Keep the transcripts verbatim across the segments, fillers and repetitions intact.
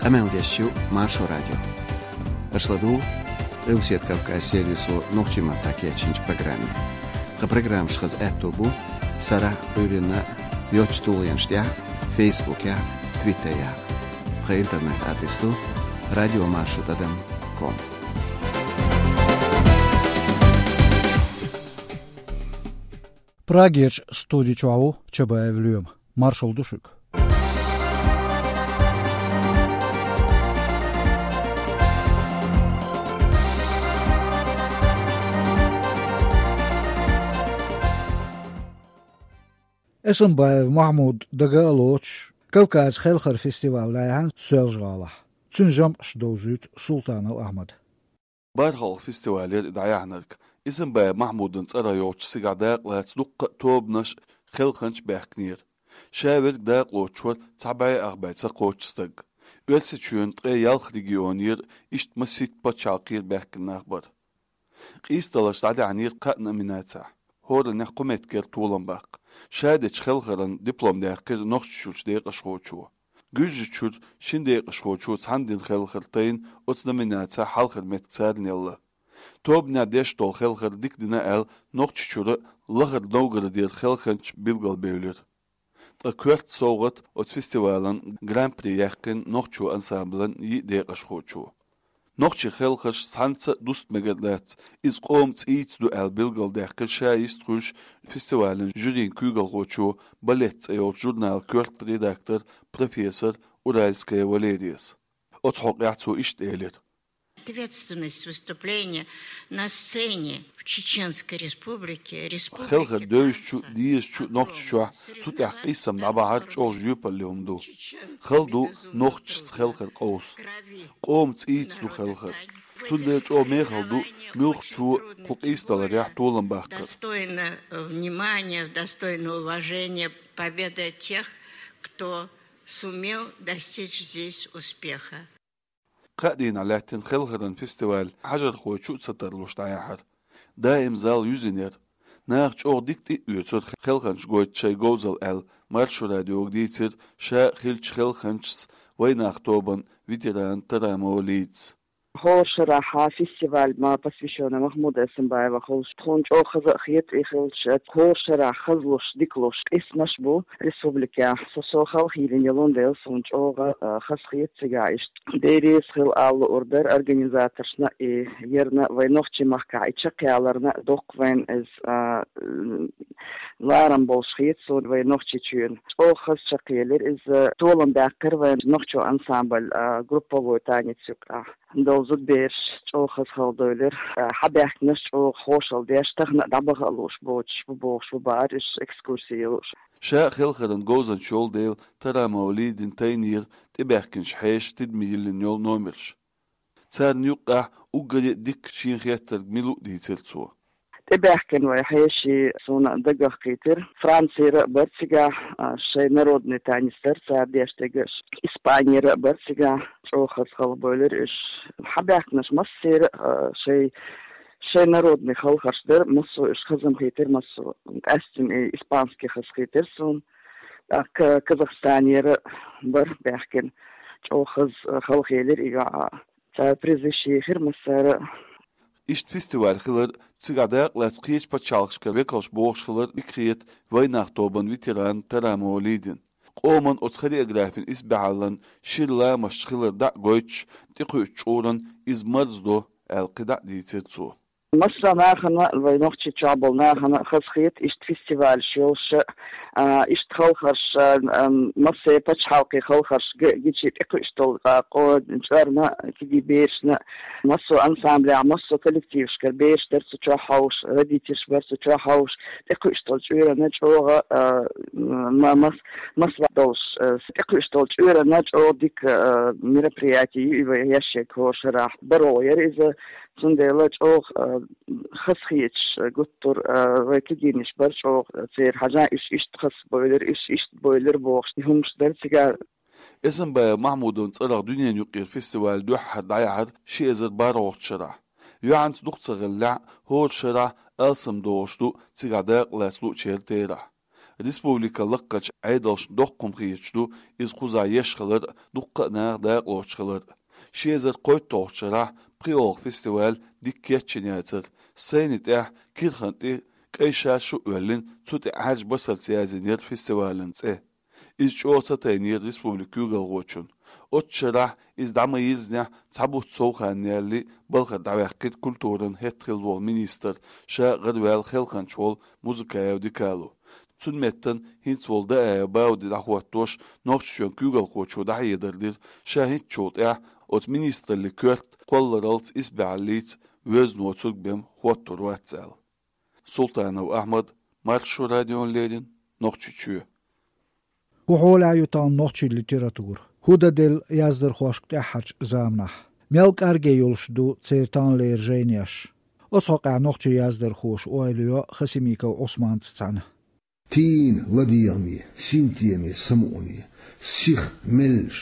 Къамел деш ю Маршо радио. Аша ладугӀу Къилбаседа Кавказ сервисо нохчийн маттахь кечйинчу программе. Тхан программаш хаза аьтто бу сарахь а, Ӏуьйранна а йоцчу тулгӀенаш тӀехь а, Фейсбукехь а, Твиттерехь а. Тхан интернет-адрес ду радиомаршо тӀадам ком. Прагерчу студи чохь ву Чабаев Лоьма. Маршалла ду шуьга. Эсамбаев Махьмуд дага а лоцуш, Кавказ хелхар фестиваль дӀаяьхьна Соьлжа-ГӀалахь. Цуьнан жамӀаш довзуьйту Султанов Ахьмада. БархӀалгӀа фестиваль яра и дӀаяьхьнарг. Эсамбаев Махьмудан цӀарах йолчу цигахь дакъалаца дуккха а тобанаш, хелханчаш баьхкинера. Ша верг дакъалоцуш вара цхьа бӀе ах бӀе ца кхоччу стаг. Оьрсийчоьнан ткъе ялх регионера, иштта масийтта пачхьалкхера баьхкина нах бара. Къийсадаларш дӀадаьхьнера кхаа номинацехь. ХӀораннех кху меттигера толам баккха. Ша дечу хелхаран диплом даьккхира Нохчийчуьрчу декъашхочо. Гуьржийчуьра шина декъашхочо цхьаьна дина хелхар тайна оцу номинацехь хьалхара меттиг царна елла. Тобанехь деш долу хелхар дика дина аьлла, Нохчийчуьра а, Лахара Новгородера хелханчаш билгалбевлира. Ткъа коьрта совгӀат оцу фестивалан гран-при яьккхина нохчо ансамблан йиъ декъашхочо. Нохчийн хелхарш цхьаьнца а дуста мегар дац, иза къоман цӀийца ду аьлла билгалдаьккхира ша йистхуьлуш фестивалан жюрин куьйгалхочо, «Балет» цӀе йолчу журналан коьрта редактор, профессор Уральская Валерияс. Оцу хьокъехь цо иштта элира: Ответственность выступления на сцене в Чеченской Республике, Республике Хелхар девзачу, дезачу Нохчийчохь, цу тӀехь къийсам дӀабахьар чӀогӀа жоьпалле хӀума ду. Хала ду нохчашца хелхар къовса. Къоман цӀийца ду хелхар. Цундела чӀогӀа мехала ду муьлххачо кху къийсадаларехь толам баккхар. Достойно внимания, достойно уважения победа тех, кто сумел достичь здесь успеха. Кхаа дийнахь лаьттина хелхаран фестиваль хьажархой чу а ца тарлуш дӀаяьхьира. Даим зал юьзина яра. Наха чӀогӀа дика тӀе а оьцура хелханчаш гойту шайн говзалла аьлла, Маршо радиога дийцира ша а хиллачу хелханчас «Вайнах» тобан ветерана Тарамова Лидас. ХӀора шарахь фестиваль ма посвящённый Махьмуда Эсамбаева хуьлуш, тхуна чӀогӀа хаза а хета и хилча, хӀора шарахь хазалуш, дикалуш къийсамаш бу республикехь. Со, со халахь йиллина йолун дела, суна чӀогӀа, а, хазахета цигахь иштта. Дерриза хила ала луур дара организаторшна и, ерна вайн нохчийн махкахь и чекхъяларна доккха вайн иза, а, ларам болуш хета суна вайн Нохчийчоьнан. ЧӀогӀа хаза чекхъелира иза, толам баьккхира вайн нохчо ансамбль, а, групповой танец юкъахь. Долу зудабераш чӀогӀа хаза хала девлира, а, хьабаьхкинарш чӀогӀа хьошалла деш, тахана а дӀабаха а лууш боцуш бу бохуш бу бахара уьш, экскурси йолуш. Ша а хелхаран говзанча йолу дела, Тарамова Лидина тайнера тӀебаьхкинчу хьешан тидаме йиллина йолу номерш. Царна юккъехь уггаре а дикка шена хеттарг мила ву дийцира цо. ТӀебаьхкина вайн хьеший суна дагах кхийтира. Францера а бара цигахь, а, шайн народный танец дара цара деш дерг а. Испанера а бара цигахь, чӀогӀа хаза хала бевлира уьш. Хьабаьхкинарш массеран а, а, шайн, шайн народный хелхарш дара, массо а уьш хаза хетира, массо а. Къаьсттина и испанский хазахетира суна. ТӀаккха Казахстанера а бара баьхкина. ЧӀогӀа хаза, а, халахелира и йоӀ а. Цара призаш ехира массара а. Иштта фестиваль хилар, цигахь дакъалаьцна кхечу пачхьалкхашкара векалш богӀуш хилар дика хета «Вайнах» тобан ветерана Тарамова Лидина. Къоман оцу хореографин исбаьхьаллан шира ламасташ хилар дӀа а гойтуш, тӀекхуьучу чкъуран иза марздо аьлла кхидӀа а дийцира цо. Массо а нахана, вайн Нохчийчохь болу нахана хазахета иштта фестивалаш йолуш а, а, иштта хелхарш, а, ам, массо а пачхьалкхийн хелхарш г-, гича тӀекхуьуш долу, а, къо-, чкъурна, кегий берашна, массо а ансамблехь, массо а коллективашкара бераш дара цу чохь хьовсуш, родительш бара цу чохь хьовсуш, тӀекхуьуш долу чкъурана чӀогӀа, а, ма-, мас-, масла долуш, а, тӀекхуьуш долу чкъурана чӀогӀа дика, а, мероприяти ю и вайн хьешан хӀора шарахь. БархӀо яра иза, цундела чӀогӀа, а, хазахеташ гуттар а, вайн кегийнаш бара чӀогӀа церан хьажа, уьш иштта хаза бевлира, уьш иштта бевлира бохуш, и хӀумнаш дара цигахь. Эсамбаев Махьмудан цӀарах дуьненаюкъара фестиваль дуьххьара дӀаяьхьира ши эзар бархӀалгӀачу шарахь. Юьхьанца дукха ца хиллехь а, хӀора шарахь алсамдолуш ду цигахь дакъалаца луучеран терахь. Республикан лакхарчу Ӏедалшна доккха хӀума хеташ ду иза кхузахь еш хилар а, дуккха а наха дакъалоцуш хилар а. Ши эзар кхойтталгӀачу шарахь пхоьалгӀа фестиваль дика кечйина яцара. Сайна тӀехь кирхана тӀе кӀайн шаршу а оьллина, цу тӀе Ӏаьржа басарца яздинера фестивалан цӀе. Иза чӀогӀа ца тайнера республикан куьйгалхочунна. Оццу шарахь иза дӀа ма-йирзинехь, цхьа бутт сов хан ялале, балхара дӀаваьккхира культуран хӀетахь хилла волу министр, ша гӀараваьлла Хелханчу волу Музыкаев Дикало. Цуьнан меттана хӀинца волу Даев Бауди дӀахӀоттош, Нохчийчоьнан куьйгалхочо дӀахьедар дира, ша хӀинцачул тӀаьхьа оцу министраллин коьрта кхолларалц, исбаьхьаллица воьзна воцург бен хӀоттор вац аьлла. Султанов Ахьмад, Маршо радиона леррина, Нохчийчоь. ХӀун хьолехь ю тахана нохчийн литература? ХӀун дан делла яздархошка тӀаьххьарчу заманахь? Мел кӀорге йолуш ду церан таханлера жайнеш? Оцу хьокъехь нохчийн яздархоша ойла йо Хасимиков Ӏусманца цхьаьна. Тийна ладегӀаме, синтеме, самукъане, сиха меллаш,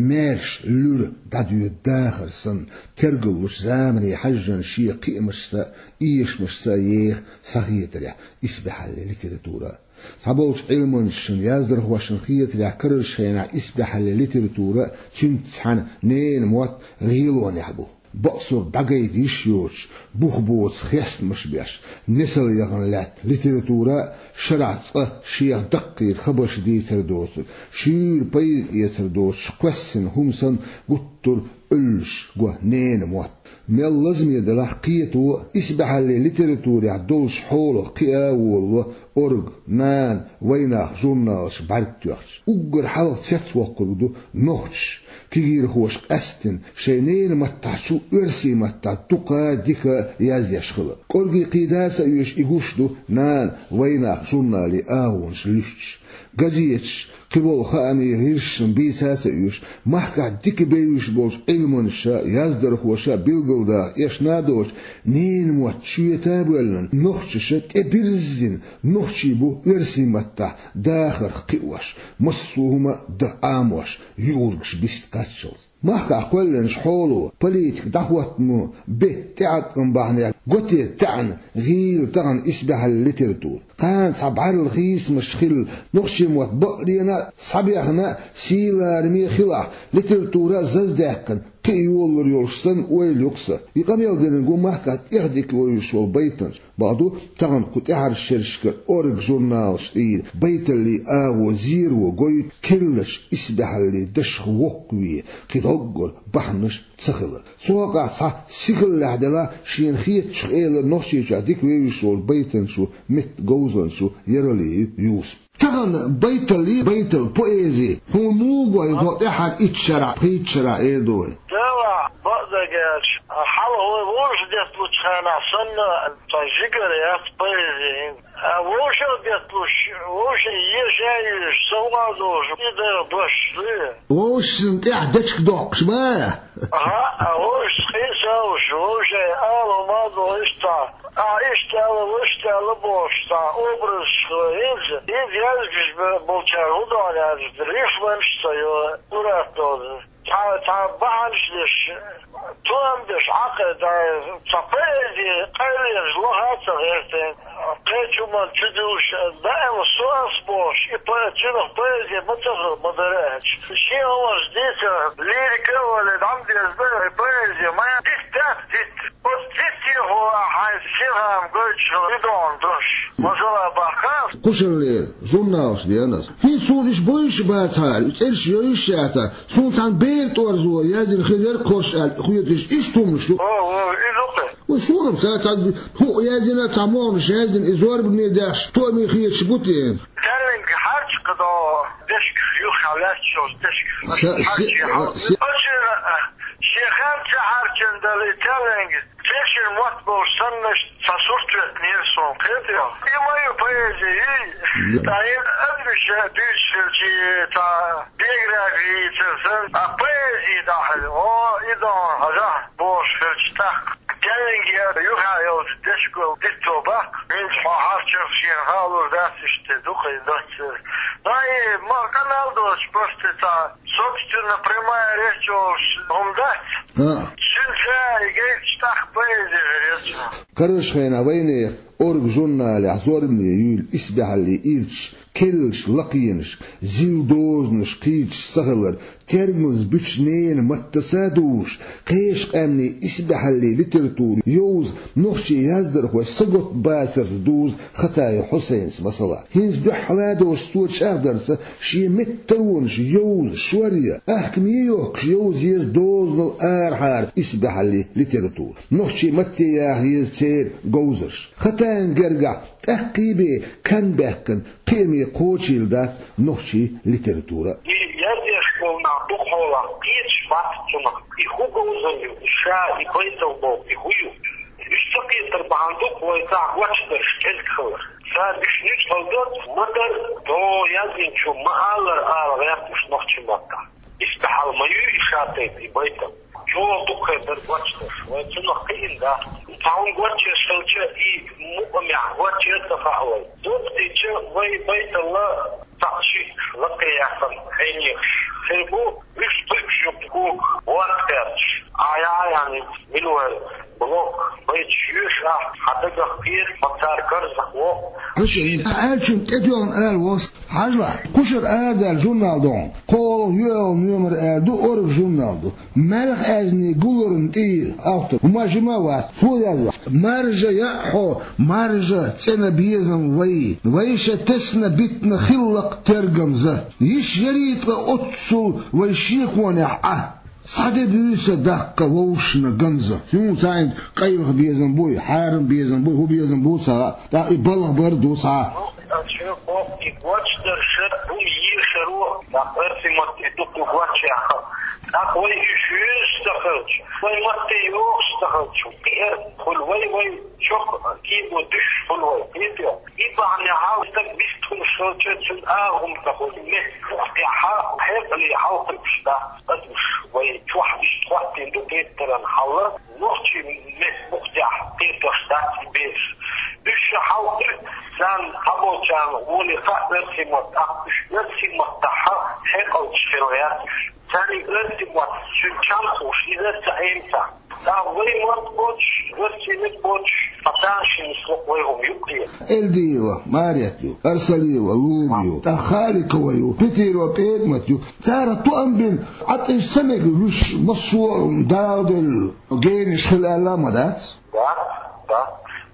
маьрша луьра дӀадоьду дахар санна, тергаллучу замане хьаьжжина шен кхиамашца а, эшамашца а еха схьахетарехь исбаьхьаллин литература а. Цхьаболчу Ӏилманчашна, яздархошна хетарехь, карарчу хенахь исбаьхьаллин литература а, цуьнца цхьаьна ненан мотт гӀелонехь бу. Бакъсург дӀагайта йиш йоцуш, бух боцу хестамаш беш, несал яхана лаьтта литература а шарахь цкъа шех даккхийра хабарш дийцар доцург, шуьйра пайда эцар доцуш кхоьссина хӀума санна, гуттар а Ӏуьллуш го ненан мотт. Мел лазаме делахь а, кхето а, исбаьхьаллин литературехь долуш хьолах кхиа а волало «Орга», «Нана», «Вайнах» журналаш бӀаьрг тоьхча. Уггар хьалха цецвоккхург ду нохчаша кегийрхоша къаьсттина шайн ненан маттахьчу оьрсийн маттахь дукха а, дика а язъеш хилар. «Оргий» кхин дац а оьшуш, и гуш ду «Нана», «Вайнах» журналийн агӀонаш луьстуш. Газеташ кхин болу хаамийн гӀирсашна бийца а ца оьшу, махкахь дика бевзаш болчу Ӏилманчаша, яздархоша билгалдаха эшна а доцуш, ненан мотт чоьта а боьллина, нохчаша тӀебирзина, нохчий бу оьрсийн маттахь дахарх кхиош, массо а хӀума а дан Ӏамош, юургаш биста кхаччалц. Махкахь кхоьллинчу хьоло, политика дӀахӀоттамо бен тӀеӀаткъам бахьанехь, готта таьӀна гӀийла тахана исбаьхьаллин литература. Кхана цхьа бӀаьрла хийцамаш хилла, нохчийн мотт бакъдерг а схьабехна а, сий-лараме а хилахь, литература а заздаьккхина, кхин а йолалур йолуш санна ойла ю-кх сан. И къамел динарг ву махкахь тӀех дика вевзаш волу байтанча. Бакъду, тахана кху тӀаьхьарчу шерашкара «Орга» журналаш тӀера байталлин агӀо зеро гойту керлачу исбаьхьаллин дашах воккхаве, кхин доггара бахьанаш ца хилар. Цу хьокъехь цхьа сихаллехь делахь, шена хетачух элира Нохчийчохь дика вевзаш волу байтанчо, меттан говзанчо Яралиев Юсуп. Тахана байталлин, байтал, поэзи хьуна муха го, хьо тӀаьххьара итт шарахь, пхийтта шарахь эр ду вай? Делахь, бакъдерг аьлча, хьалха вай вовшах детталучу хенахь санна, цхьа жигара яц поэзи. А вовшах детталуш, вовшийн еша а йоьшуш, совгӀат а долуш, и дара дош, дуй? Вовшашна тӀехь дечиг доккхуш ма? ХӀаъ, вовшашца къийса а луш, вовшийн ала хӀума а ду, иштта, а, иштта аьлла, вуьшта аьлла бохуш, цхьа образаш хилла, хӀинца, хӀинца язбеш бе-, болчара хӀун ду аьлча, рифманаш а ца йо, сурат а ца йо. Цхьа, цхьа бахьанаш деш, тоам беш, Ӏа кхайда, цхьа поэзи къайлаеш лаха а ца гӀерта, кхечу хӀуманна чу дуьллуш, даима со ас бохуш, и по-, цуьнах поэзи ма ца хила ма дара аьлча. Шен хӀуманаш дийца, лирика а вале, дӀа ма деза бара, и поэзи ма дитта дац, дитта. Оцу диттехула хьайн синхаам гойтуш хила и догӀун дош. Масала баккха. Кхушарлера журналаш деана ас. ХӀинца суна иштта бовзуш а бацахьара, и цӀераш йовзуш а яцахьара, суна цхьана бер тӀорзо яздина хир яра кхорш аьлла хеташ, иштта хӀуманаш ю. О, о, иза ду-кх. Вай суна-м ца, цхьа хӀуъа яздина, цхьа могӀанаш яздина, и зорбане даьхча, тоаме хеташ бу те? Терлинг хьарча кхидӀа дешка, юххьехь лаьтташ йолчу дешка. Ша-, хьарча ши-, хьал-, ши- Оцуьнан, шен хенахь ца хьарчина дала и терлинг, тешнара мотт болуш саннаш цхьа сурт веттинера суна, кхетий хьо? И ма ю поэзи, ий? Да. Ткъа хӀинца адамаша дуьйцуш хилча, цхьа биографи йийцар санна, а поэзи дӀахьаьжча, о, и догӀун хьажахь бохуш хилча, тӀаккха терлинг юххьехь йолчу дешко дитто баккха, хӀинца хьо хьарчарх шена хаалур дац, иштта ду-кх и доццуьра. Ткъа и ма къамел доцуш, просто цхьа собственно прямая речь йолуш хӀума дац. А. Цуьнца и гайташ тӀаккха поэзи хир яц. Карарчу хенахь вайнехан «Орга» журналехь зорбане юьйлу исбаьхьаллин ирчаш, керлачу лакхенашка, зил дозанашка кхийдаш ца хилар, тергамза буьтуш ненан маттаца а дузуш, кхечу къаьмнийн исбаьхьаллин литература йовза нохчийн яздархой сагатбацарца дузу Хатаев Хьусайнас масала. ХӀинца дуьххьара а доцуш цо чӀагӀдарца, шен меттан таронаш йовза, шоръян, ахкаме йохкуш йовза еза дозанал арахьара исбаьхьаллин литература. Нохчийн матте яха еза церан говзарш. Хатаевн гергахь тӀаккхий бен кхаьннабаьккхина кхиаме кхочийла дац нохчийн литература. И язъеш болу нах дукхахьолахь кхеташ бац цунах, и хӀун говзар ю, и ша, и байтал боху, и хӀун ю. Уьш ца кхетар бахьана ду-кх вай цхьа гочдарш кӀезиг хилар. Цара уьш нуьцкъала доцу, ма-дарра, догӀу яздинчо ма-аллара ала гӀерташ нохчийн маттахь. Исбаьхьалла ма ю и ша тайпа, и байтал. ЧӀогӀа дукха хир дара гочдарш, вай цунах кхиъна дац. Цхьа хӀума гочъеш хилча, и мукъамехь гочъян ца хаьа вай. Дукха дича вай байталла цхьаъ-шиъ лакхе яьккхина хьенехаш хир бу, уьш тхуьгашна кога ворта кхаьчча, ахьа яхьа яхьа мила вай блок байташ йоьшу ахь, хьан дагах кхета, хьо цара карзахвоккху. Хьуьшан, хьан аьллачунна тӀедоьгӀна ала вос. Хьажалахь, кхушара арадаьлла журнал ду хьуна. КхоалгӀа, йоьалгӀа номер аьлла ду, «Орга» журнал ду. Малхазни гуларна тӀера автор. ХӀума жима а вац, фу язъян. Маржа яа хьо, маржа, цӀена безам вай. Вайша тесна битина хиллакх тергамза. Йиш яра ткъа оццул вай шеконехь Ӏа. Схьа де буьйса даккха вовшашна ганза. Хьуна цхьаьнга къайлаха безам буй, хьарам безам буй, хӀун безам бу ца хаьа, тӀаккха и балха бар ду цхьа. Аса шуьга боху, и гочдарша хӀума ешаро, тӀаккха оьрсийн матте дукха ю гочъяьккхина. ТӀаккха вай уьш вуьйцуш ца хилча, вай матте йохуш ца хилча, кхиар хуьлу вай, вай чохь кийго дуьсуш хуьлу вай, кхетий? И бахьанехь стаг вистхуьлуш хилча, цуьнан агӀо хӀума ца хуьлу, меттан бухтехь хьекъале хьалакхуьуш дац адамаш, вай чохь иштта хӀоттийна ду кхетаран хьал, нохчийн меттан бухтехь кхетош дац и бераш. Уьш ша хьалакхуьу, царна цхьаболчарна гӀоле хаьа оьрсийн мотт, тӀаккха уьш оьрсийн маттахь хьекъалчаш хила гӀерта уьш. Царна и оьрсийн мотт цуьнан чам хууш, иза а ца Ӏемца. ТӀаккха вай мотт боцуш, оьрсийн меттан боцуш, ткъа тамашийна нисло вай хӀума ю-кх те. Эльдиева Марет ю, Арсалиева Луна ю, тӀаккха Халикова ю, Петирова ПетӀамат ю. Цара тоам бина, Ӏа тӀе ца мега уьш массо а дагӀделла генаш хила аьлла а ма дац? Да, да.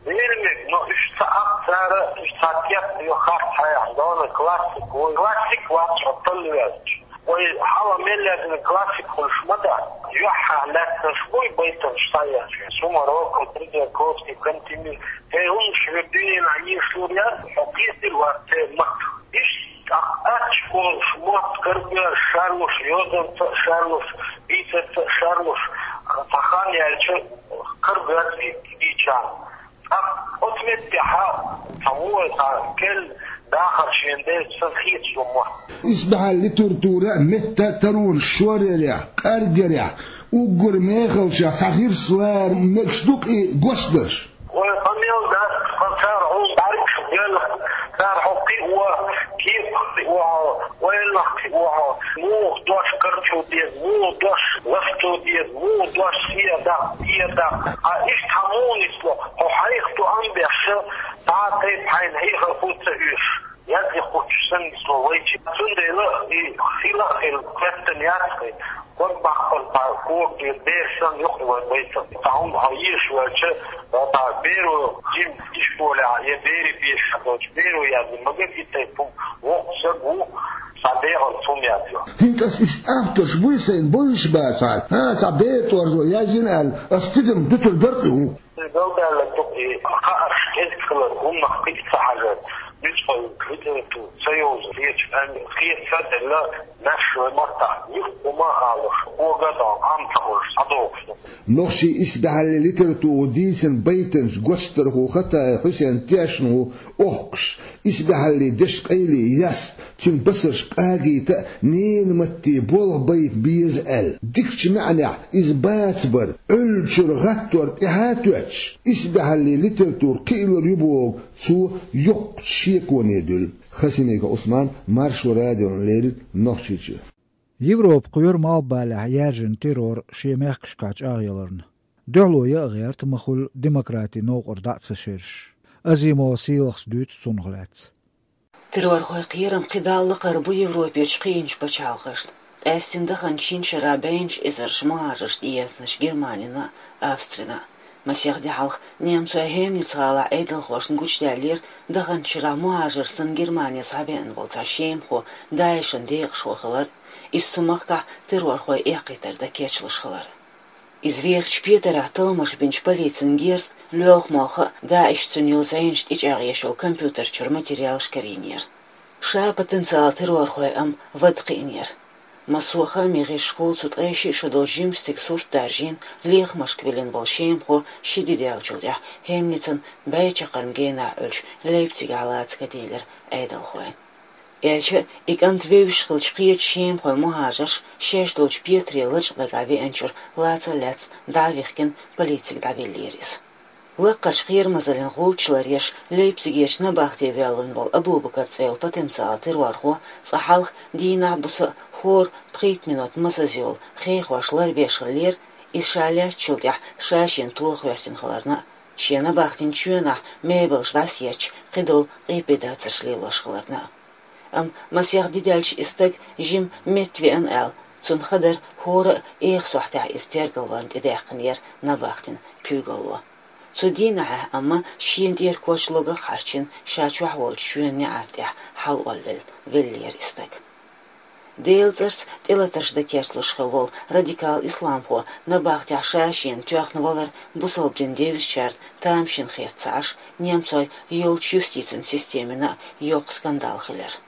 Вер мега, но уьш ца Ӏа цара, уьш цхьа текст йо харц хьаьхна, дона классик, вай классик вац хьо талла ваьлча. Вай хьалха мел яздина классик хуьлуш ма дац. Юьххьехь лаьтташ буй байтанаш схьаэцча, Сумароков, Тредиаковский, Кантемир, тхайн хӀуманаш вер дуьненахь ешалур яц, хьо кхетира вац церан маттах. Иштта тӀаккха аттачу кхолуш мотт карабоьллуш шарлуш, йозанца а шарлуш, бийцарца а шарлуш, цхьа хан яьлча, карабоьллу и дийцарна. Ткъа оцу меттехь цхьа вон, цхьа керла дахар шена дерг санна хеташ ду мотт. Исбаьхьаллин литература а, меттан а таронаш шоръярехь, кӀаргъярехь, уггар мехаллашах цхьа хирслара мегаш ду-кх и гочдарш. Вай къамел дац, ткъа цара хьуна бӀаьргаш белла, цара хьо кхио, кепах кхио хьо, ойланах кхио хьо, муха дош карчо деза, муха дош ласто деза, муха дош схьадаккха, тӀедаккха. Ткъа иштта хьан муха нисло, хьо хьайх тоам беш, цхьа а тайпа хьайна хьехар хӀума ца оьшу, язъян хӀуттуш санна нисло вайчи. Цундела и хила а хила, коьртан яц-кх и. Ког баккхар цхьа кога дийр бер санна ю-кх вайн байтам. Цхьа хӀума хьо езаш ваьлча, цхьа беро жима ишколехь я берийн бешахь долчу беро яздина, магар и тайпа хӀума воккха стаг ву, цхьа дегӀалц хӀума яздо. ХӀинца аса уьш авторш буй сайн, бовзуш бацахьара. ХӀан, цхьа бер тӀорзо яздина аьлла, аса тидам дуьтур дара-кх и хӀума. Галдаьлларг ду-кх и, хаарш кӀезиг хилар, хӀуманах кхиа ца хьажар, нуьцкъала литература ца йовза, кхечу аьлла, кхета ца делла, маьрша вай маттахь юха хӀума а алуш, кога а догӀуш, Ӏам ца хуьлуш, схьадогӀуш ду. Нохчийн исбаьхьаллин литература дийцина байтанаш гочдархо Хатаев Хьусен тешна ву охкуш, исбаьхьаллин дешан къайле яста, цуьнан басарш къагийта а, ненан матте болх байта беза аьлла. Дикачу маьӀнехь иза бацабар, Ӏуьллучуьра гӀаттор тӀаьхьа а тоьттуш, исбаьхьаллин литература кхиалур ю боху цо йоккхачу шеконе дуьллу. Хасимиков Ӏусман, Маршо радиона леррина Нохчийчуьра. Европа кхоьру малхбалехь яьржина террор шен мехкашкахь чӀагӀъяларна. Дуьхьало яа гӀерта ма хуьлу демократин новкъара дӀа а ца шераш. Азимова Сийлахьас дуьйцу цунах лаьцна. Террорхойн кхерам кхидӀа а лакхара бу Европерчу кхиъначу пачхьалкхашна, къаьстина даханчу шина шарахь бӀеннаш эзарш мухӀажарш тӀеэцначу Германина а, Австрина а. Масех де хьалха немцойн Хемниц-гӀалахь Ӏедалхошна гучудаьллера даханчу шарахь мухӀажар санна Германе схьабеана волу цхьа шемахо ДАИШан декъашхо хилар, иза цу махкахь террорхойн эккхийтар дан кечлуш хилар. Иза вехачу петарехь талламаш бинчу полицин герза лоьлху молха а, ДАИШ цуьнан йолу зӀенаш тӀечӀагӀъеш йолу компьютер чуьра материалаш карийнера. Ша потенциал террорхойн ам вада кхиънера. Массо а хаамийн гӀирсашкахула цу ткъе шиъ шо долчу жимачу стеган сурт даржийна, лехамашка виллина волу шемахо ши де даьллачул тӀаьхьа Хемницан бӀе чаккхарма генахь Ӏуьллучу Лейпцигехь лаца ка дийлира Ӏедалхойн. Аьлча а, и кӀант вевзаш хиллачу кхечу шемахойн мухӀажарш шаьш долчу петаре лачкъа дагахь веанчуьра лаца а лаьцна дӀа а вихкина, полицига дӀавиллера иза. Лаккхарчу кхерамазаллин гӀулч ларъеш, Лейпцигерчу набахте ваьллина волу Абу-Бакар цӀе йолу потенциал террорхо цкъа хьалха дийнахь а, буса а хӀора пхийтта минот масаза йолу хехош ларбеш хиллера, иза ша лаьцначул тӀаьхьа ша шена тоха гӀоьртина хиларна а, шен набахтин чоьнахь мебелш дӀасаетташ кхидолу къепедацарш лелош хиларна а. Амма масех де даьлча и стаг жима меттавеана аьлла, цунна хадара хӀора а эха сохьтехь иза тергалварна тӀедехкинера набахтин куьйгалло. Цу дийнахьехь амма шена тӀера коч логах а хьарчийна, ша чохь волчу чоьнан неӀарна тӀехь хьалаолла веллера и стаг. Делан цӀарца тӀелатарш дан кечлуш хилла волу радикал исламхо набахтехь ша шена тоьхна валар бусалба дин девзачарна тамашийна хетта ца Ӏаш, немцойн йолчу юстицин системина а йоккха скандал хилира.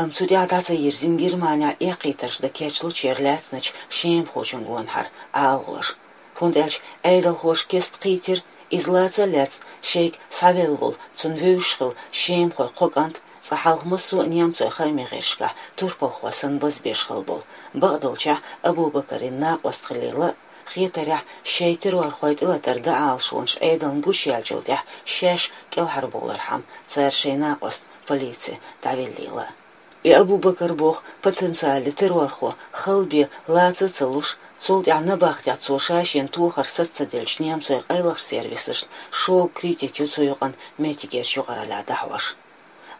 Амма цу тӀехь дӀа ца йирзина Германехь эккхийтарш дан кечлучеран лаьцначу шемахочун гонахьара АлгӀоша, хӀунда аьлча Ӏедалхоша кеста кхийтира, иза лаца а лаьцна шайга схьавелла волу, цунна вевзаш хилла шемахойн кхо кӀант, цкъа хьалха массо а немцойн хаамийн гӀирсашкахь турпалхо санна базбеш хилла болу, бакъдолчехь Абу-Бакаран накъост хилийла а, хетарехь, шайн террорхойн тӀелатар дан Ӏалашонаш Ӏедална гучуяьллачул тӀаьхьа шаьш кӀелхьарбовлархьама цара шайн накъост полице дӀавиллийла а. И Абу-Бакар боху потенциале террорхо хала бен лаца а ца луш, цул тӀаьхьа набахтехь цо ша шена тохар саца ца деллачу немцойн къайлахчу сервисашна шога критика ю цу юкъанна меттигерчу юкъараллехь дӀахьош.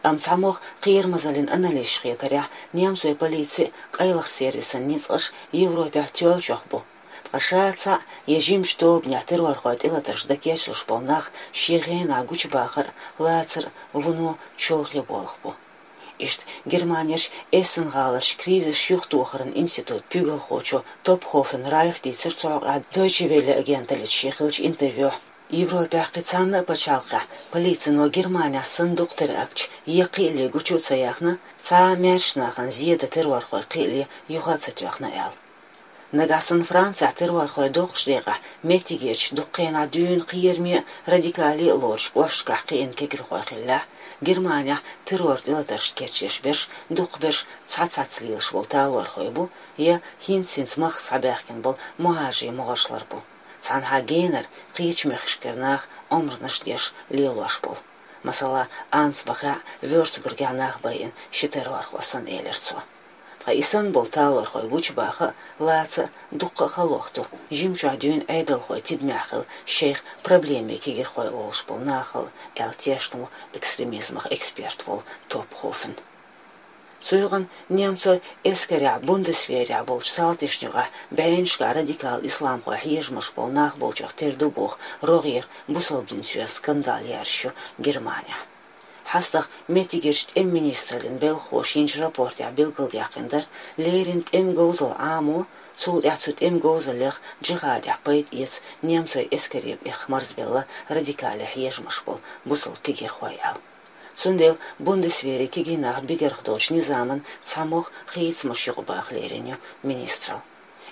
Амма цхьамогӀа кхерамазаллин аналисташа хетарехь, немцойн полицин а, къайлахчу сервисан ницкъаш Европехь тоьллачех бу. Ткъа ша цхьаъ я жимачу тобанехь террорхойн тӀелатарш дан кечлуш болу нах шен хенахь гучубахар а, лацар а вуно чолхе болх бу. Иштта Германерчу эссен гӀаларчу кризисаш юхатохаран институтан куьйгалхочо Топхофен Ральфа дийцира цу хьокъехь Дойче Велле агенталлица шен хиллачу интервьюхь. Европехь кхин цхьана а пачхьалкхехь полицино Германехь санна дукха теракташ я кхиале гучу а ца яьхна, цхьа а маьршачу нахана зен дан террорхойн кхиале юха а ца тоьхна аьлла. Нагахь санна Францехь террорхойн доккхачу декъехь меттигерчу, дукха хенахь дуьйна кхераме а, радикале а лоручу кӀошташкахь кхиъна кегирхой хиллехь, Германехь террор тӀелатаршна кечъеш берш дукхахберш цхьацца лелаш болу талорхой бу я хӀинца-хӀинца махка схьабаьхкина болу мухӀажарийн могӀаршлар бу, цхьанхьа генара, кхечу мехкашкара наха омранаш деш лелош болу. Масала, Ансбахехь а, Вёрцбургехь нах байина ши террорхо санна, элира цо. Ткъа и санна болу талорхой гучубаха а, лаца а дуккха а халох ду жимчохь дуьйна Ӏедалхойн тидамехь хилла, шайх проблемин кегирхой олуш болу нахал, аьлла тешна ву экстремизмах эксперт волу Топхофен. Цу юкъанна немцойн эскарехь, Бундесверехь болчу салташна юкъахь бӀеннашкахь радикал исламхойн хьежамаш болу нах болчех тера ду боху рогӀера бусалба динан соьза скандал яржаш ю Германехь. ХьастагӀа меттигерчу тӀеман министраллин белхахоша йинчу рапортехь билгалдаьккхина дара, леррина тӀеман говзалла Ӏамо, цул тӀаьхьа цу тӀеман говзаллех джихӀадехь пайда эца немцойн эскаре бӀеха марзбелла радикале хьежамаш болу бусалба кегирхой аьлла. Цундела Бундесвере кегий нах бигарх долчу низаман цхьамогӀа хийцамаш юкъабаха лерина ю министралла.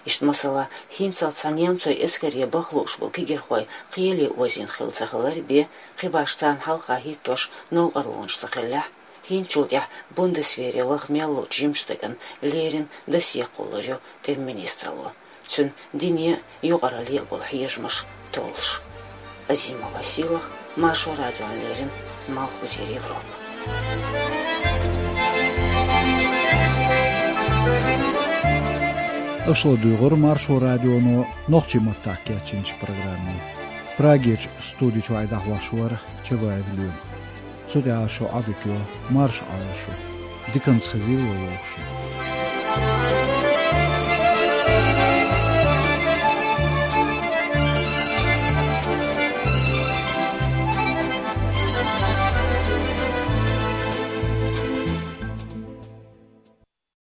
Иштта, масала, хӀинццалц цхьа немцойн эскаре баха лууш болу кегирхой кхеле озийна хилла ца хилар бен, кхин башха царна хьалха хӀиттош новкъарлонаш ца хиллехь, хӀинцачул тӀаьхьа Бундесвере лаха мел лучу жимачу стагана леррина досье кхуллур ю тӀеман министралло, цуьнан дине а, юкъаралле а болу хьежамаш толлуш. Азимова Сийлахь, Маршо радиона леррина, Малхбузера Европа. Аша ладугӀура Маршо радионо нохчийн маттахь кечйинчу программе. Прагерчу студи чохь дӀахьош вара Чабаев Лоьма. Цу тӀехь шун Ӏадика йо, марша Ӏойла шу. Диканца хезийла вовшашна.